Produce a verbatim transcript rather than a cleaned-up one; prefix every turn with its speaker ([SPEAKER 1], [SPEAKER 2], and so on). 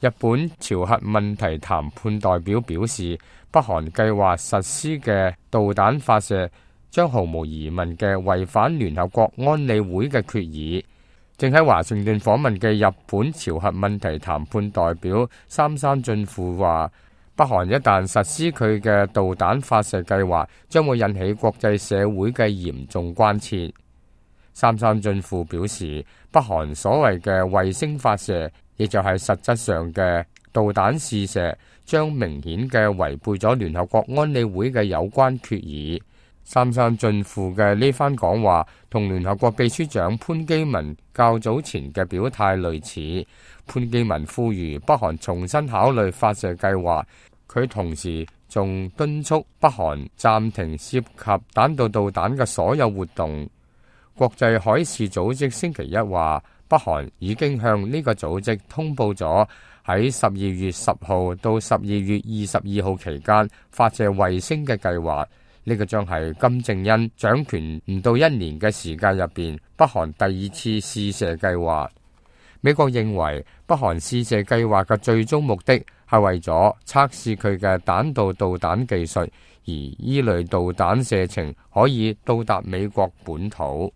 [SPEAKER 1] 日本朝核問題談判代表表示，北韓計劃實施嘅導彈發射將毫無疑問嘅違反聯合國安理會嘅決議。正喺華盛頓訪問嘅日本朝核問題談判代表三山俊富話，北韓一旦實施佢嘅導彈發射計劃，將會引起國際社會嘅嚴重關切。三山俊富表示，北韓所謂嘅衛星發射，亦就係實質上嘅導彈試射，將明顯嘅違背咗聯合國安理會嘅有關決議。三山俊富嘅呢番講話同聯合國秘書長潘基文較早前嘅表態類似。潘基文呼籲北韓重新考慮發射計劃，佢同時仲敦促北韓暫停涉及彈道導彈嘅所有活動。國際海事組織星期一話，北韓已經向呢個組織通報咗喺十二月十號到十二月二十二號期間發射衛星嘅計劃。呢個將係金正恩掌權唔到一年嘅時間入邊，北韓第二次試射計劃。美國認為北韓試射計劃嘅最終目的係為咗測試佢嘅彈道導彈技術，而依類導彈射程可以到達美國本土。